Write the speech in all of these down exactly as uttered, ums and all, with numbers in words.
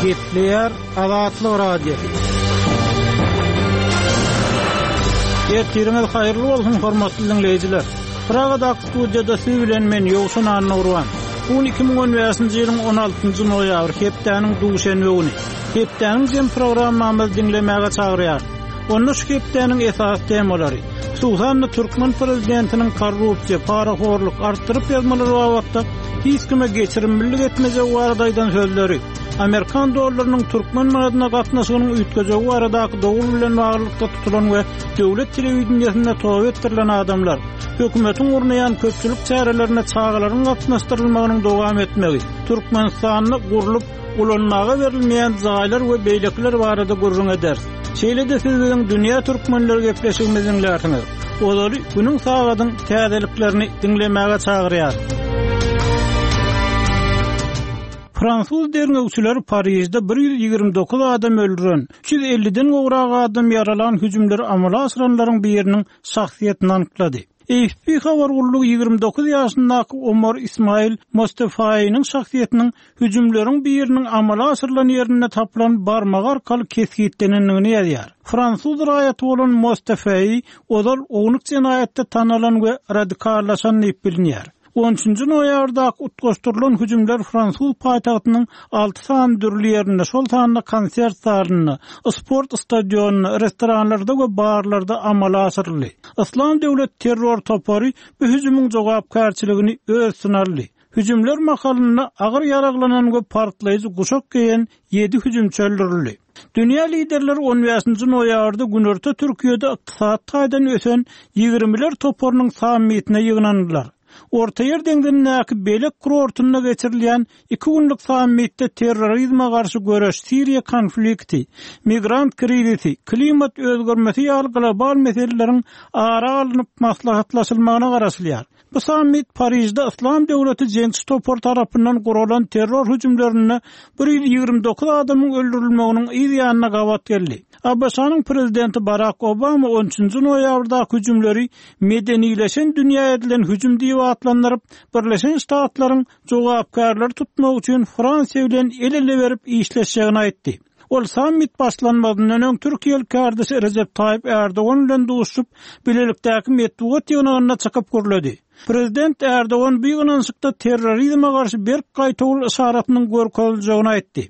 Gepleýär Azatlyk Radiosy. Ertiriňiz haýyrly bolsun, hormatly diňleýjiler. Pragadaky studiýada siz bilen men Ýowşan Annagurban. Bu gün iki müň on bäşinji ýylyň on altynjy noýabry, hepdäniň duşenbe güni. Hepdäniň jem programmamyzy diňlemäge çagyrýarys. Onda şu hepdäniň esasy temalary, hususan-da türkmen prezidentiniň korrupsiýa, parahorluk, artdyryp ýazmalar babatda hiç kime geçirimlilik etmejegi barada aýdan sözleri, amerikan dollarynyň türkmen manadyna gatnaşygynyň üýtgejegi baradaky dowul bilen baglylykda tutulan we döwlet telewideniýesinde toba etdirilen adamlar, hökümetiň gurnaýan köpçülik çärelerine çagalaryň gatnaşdyrylmagynyň dowam etmegi, Türkmenistanda gurlup ulanmaga berilmeýän jaýlar we beýlekiler barada gürrüň ederis. Şeýle-de siz biziň Dünýä Türkmenleri gepleşigimizi diňlärsiňiz. Ozaly günüň sagadyň täzeliklerini diňlemäge çagyrýar. Fransuz derňewçileri Parižde bir ýüz ýigrimi dokuz adam öldüren, üç ýüz elliden gowrak adam ýaralan hüjümleri amala aşyranlaryň biriniň şahsyýetini anyklady. A F P habar gullugy ýigrimi dokuz ýaşyndaky Omar Ismail Mostefaýynyň şahsyýetiniň hüjümleriň biriniň amala aşyrylan ýerinde tapylan barmagy arkaly kesgitlenendigini ýazýar. Fransuz raýaty bolan Mostefaýy ozal ownuk jenaýatda tanalan we radikallaşan diýip bilinýär. On üçünji noýabrdaky utgaşdyrylan hüjümler Fransuz paýtagtynyň alty sany dürli ýerinde, şol sanda konsert zalynda, sport stadionynda, restoranlarda we barlarda amala aşyryldy. Islam döwlet terror topary bu hüjümiň jogapkärçiligini öz üstüne aldy. Hüjümler mahalynda agyr ýaraglanan we partlaýjy guşak geýen ýedi hüjümçi öldürildi. Dünýä liderleri on bäşinji noýabrda Günorta Türkiýede ykdysady taýdan ösen ýigrimiler toparynyň sammitine ýygnandylar. Ortaýer deňzindäki Belek kurortynda geçirilýän iki günlük sammitde terrorizme garşy göreş, Siriýa konflikti, migrant krizisi, klimat özgermesi ýaly global meseleleriň ara alnyp maslahatlaşylmagyna garaşylýar. Bu sammit Parižde Islam döwleti jeňçi topar tarapyndan guralan terror hüjümlerinde bir ýüz ýigrimi dokuz adamyň öldürilmeginiň yz ýanyna gabat geldi. A B Ş-nyň prezidenti Barack Obama on üçünji noýabrdaky hüjümleri medenileşen dünýä edilen hüjüm diýip atlandyryp, Birleşen Ştatlaryň jogapkärleri tutmak üçin Fransiýa bilen el-ele berip işleşjegini aýtdy. Ol sammit başlanmazyndan öň Türkiýeli kardeşi Recep Tayyip Erdogan bilen duşup, bilelikdäki metbugat ýygnagynda çykyp gürledi. Prezident Erdogan bu ýygnanyşykda terrorizme garşy berk gaýtawul yşaratynyň görkeziljegini aýtdy.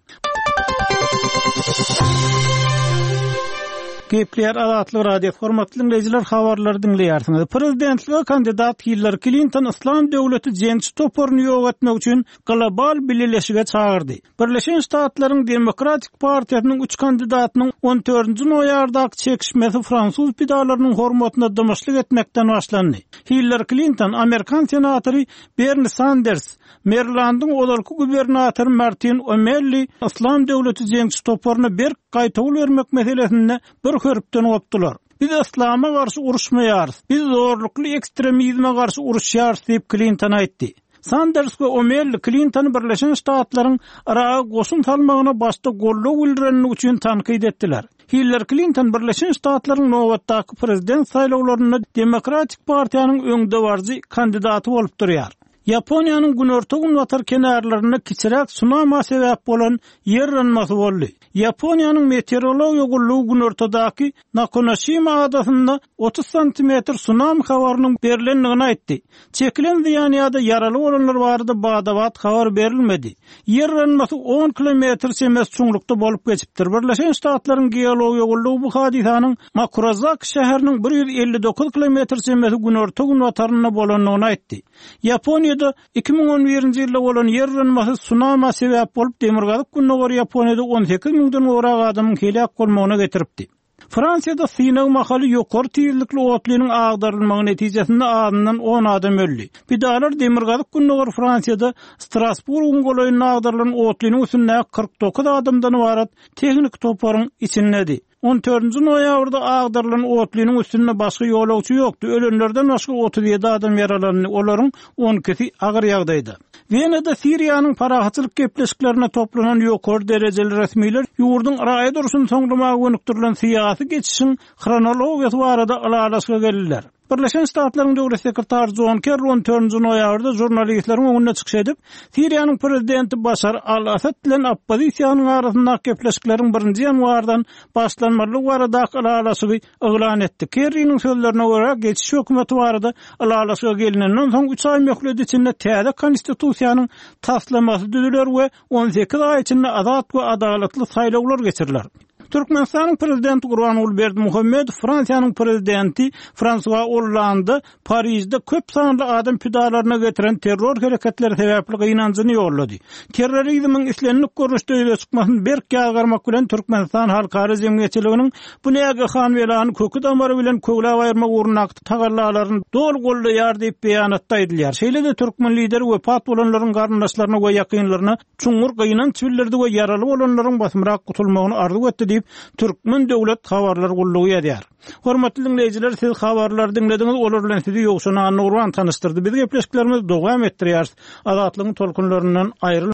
Gepleýär Azatlyk Radiosy, hormatly dinleýjiler, habarlary diňleýärsiňiz. Prezidentlige kandidat Hillary Clinton Islam döwleti jeňçi toparyny ýok etmek üçin global bileleşige çagyrdy. Birleşen Ştatlaryň Demokratik partiýasynyň üç kandidatynyň on dördünji noýabrdaky çekişmesi fransuz pidalarynyň hormatyna dymyşlyk etmekden başlandy. Hillary Clinton, Amerikan senatory Bernie Sanders, Marylandyň ozalky gubernatory Martin O'Malley Islam döwleti jeňçi toparyna berk gaýtawul bermek meselesinde bir hörpden gopdular. Biz İslama garşy uruşmaýarys, biz zorlukly ekstremizme garşy uruşýarys diýip Clinton aýtdy. Sanders we O'Malley Clintony Birleşen Ştatlaryň Yraga goşun salmagyna başda goldaw bildirenligi üçin tankyt etdiler. Hillary Clinton Birleşen Ştatlaryň nobatdaky prezident saýlawlarynda Demokratik partiýanyň öňdebaryjy kandidaty bolup durýar. Ýaponiýanyň günorta-günbatar kenarlarynda kiçiräk tsunami sebäp bolan ýer yranmasy boldy. Ýaponiýanyň meteorologiýa gullugy günortadaky Nakonoshima adasynda otuz santimetr tsunami habarynyň berilendigini aýtdy. Çekilen zyýan ýa-da ýaraly bolanlar barada badabat habar berilmedi. Ýer yranmasy on kilometr çemesi çuňlukda bolup geçipdir. Birleşen Ştatlaryň geologiýa gullugy bu hadysanyň Makurazaki şäheriniň bir ýüz elli dokuz kilometr çemesi günorta-günbatarynda bolandygyny aýtdy. Ýaponiýada iki müň on birinji ýylda bolan ýer yranmasy tsunami sebäp bolup demirgazyk gündogar Ýaponiýada on sekiz müňden gowrak adamyň heläk bolmagyna getiripdi. Fransiýada synag mahaly ýokary tizlikli otlynyň agdarylmagy netijesinde azyndan on adam öldi. Pidalar demirgazyk gündogar Fransiýada Strasburgyň golaýynda agdarylan otlynyň üstünde kyrk dokuz adamdan ybarat tehnik toparyň içindedi. On dördünji noýabrda agdarylan otlynyň üstünde başga ýolagçy ýokdy. Ölenlerden başga otuz ýedi adam ýaralandy. Olaryň on ikisi agyr ýagdaýda. Wenada Siriýanyň parahatçylyk gepleşiklerine toplanan ýokary derejeli resmiler ýurduň raýat urşuny soňlamaga gönükdirilen syýasy geçişiň hronologiýasy barada ylalaşyga geldiler. Birleşen Ştatlaryň Döwlet sekretary Jon Kerri on dördünji noýabrda žurnalistleriň öňünde çykyş edip, Siriýanyň prezidenti Başar al-Assad bilen oppozisiýanyň arasyndaky gepleşikleriň birinji ýanwardan başlanmalydygy baradaky ylalaşygy yglan etdi. Kerriniň sözlerine görä, geçiş hökümeti barada ylalaşyga gelinenden soň üç aý möhlet içinde täze konstitusiýanyň taslamasy düzüler we on sekiz aý içinde azat we adalatly saýlawlar geçiriler. Türkmenistanyň Prezidenti Gurbanguly Berdimuhamedow Fransiýanyň Prezidenti Fransua Ollanda Parižde köp sanly adam pidalaryna getiren terror hereketleri sebäpli gynanjyny ýollady. Terrorizmiň islendik görnüşde ýüze çykmasyny berk ýazgarmak bilen Türkmenistan halkara jemgyýetçiliginiň bu nägehan belany köki-damary bilen köwläp aýyrmak ugrundaky tagallalaryny doly goldaýar diýip beýanatda aýdylýar. Şeýle-de türkmen lideri wepat bolanlaryň garyndaşlaryna we ýakynlaryna çuňňur gynanç bildirdi we ýaraly bolanlaryň basymrak gutulmagyny arzuw etdi diýip, Türkmen döwlet habarlar gullugy ýazýar. Hormatly diňleýjiler, siz habarlary diňlediňiz, olar bilen sizi Ýowşan Annagurban tanyşdyrdy. Biz gepleşiklerimizi dowam etdirýäris. Azatlygyň tolkunlaryndan aýrylmaň.